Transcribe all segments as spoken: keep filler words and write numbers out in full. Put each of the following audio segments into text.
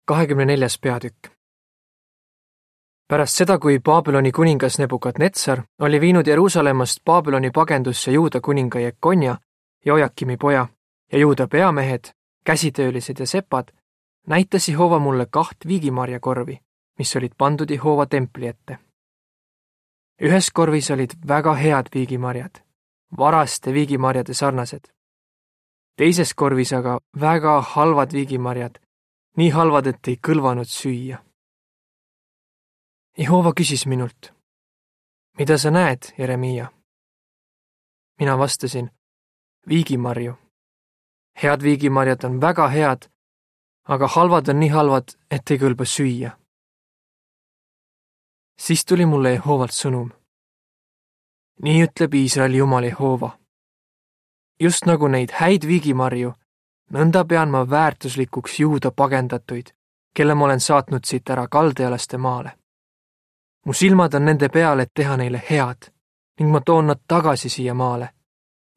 kahekümne neljas peatükk. Pärast seda, kui Babyloni kuningas Nebukadnetsar oli viinud Jeruusalemmast Babyloni pagendusse Juuda kuninga Jekonja, Jojakimi poja ja Juuda peamehed, käsitöölised ja sepad, näitas Jehova mulle kaht viigimarjakorvi, mis olid pandud Jehova templi ette. Ühes korvis olid väga head viigimarjad, varaste viigimarjade sarnased. Teises korvis aga väga halvad viigimarjad, nii halvad, et ei kõlvanud süüa. Jehova küsis minult, mida sa näed, Jeremiia? Mina vastasin, viigimarju. Head viigimarjad on väga head, aga halvad on nii halvad, et ei kõlba süüa. Siis tuli mulle Jehovalt sõnum. Nii ütleb Iisraeli Jumal Jehova. Just nagu neid häid viigimarju, nõnda pean ma väärtuslikuks Juuda pagendatuid, kelle ma olen saatnud siit ära kaldealaste maale. Mu silmad on nende peal, et teha neile head, ning ma toon nad tagasi siia maale.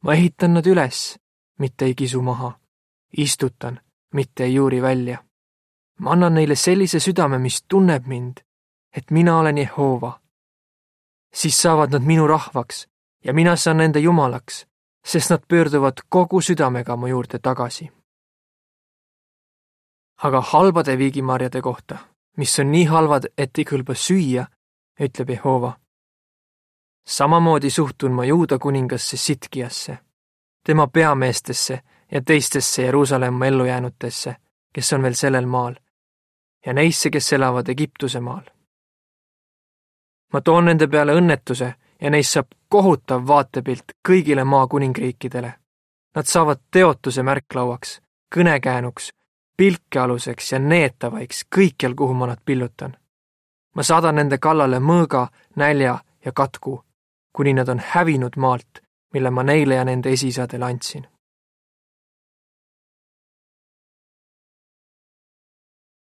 Ma ehitan nad üles, mitte ei kisu maha. Istutan, mitte ei juuri välja. Ma annan neile sellise südame, mis tunneb mind, et mina olen Jehova. Siis saavad nad minu rahvaks ja mina saan nende jumalaks, sest nad pöörduvad kogu südamega mu juurde tagasi. Aga halbade viigimarjade kohta, mis on nii halvad, et ei kõlba süüa, ütleb Jehova. Samamoodi suhtun ma Juuda kuningasse Sitkiasse, tema peameestesse ja teistesse Jeruusalemma ellujäänutesse, kes on veel sellel maal, ja neisse, kes elavad Egiptuse maal. Ma toon nende peale õnnetuse ja neist saab kohutav vaatepilt kõigile maa kuningriikidele. Nad saavad teotuse märklauaks, kõnekäänuks, pilkealuseks ja neetavaiks kõikjal, kuhu ma nad pillutan. Ma saadan nende kallale mõõga, nälja ja katku, kuni nad on hävinud maalt, mille ma neile ja nende esisadele andsin.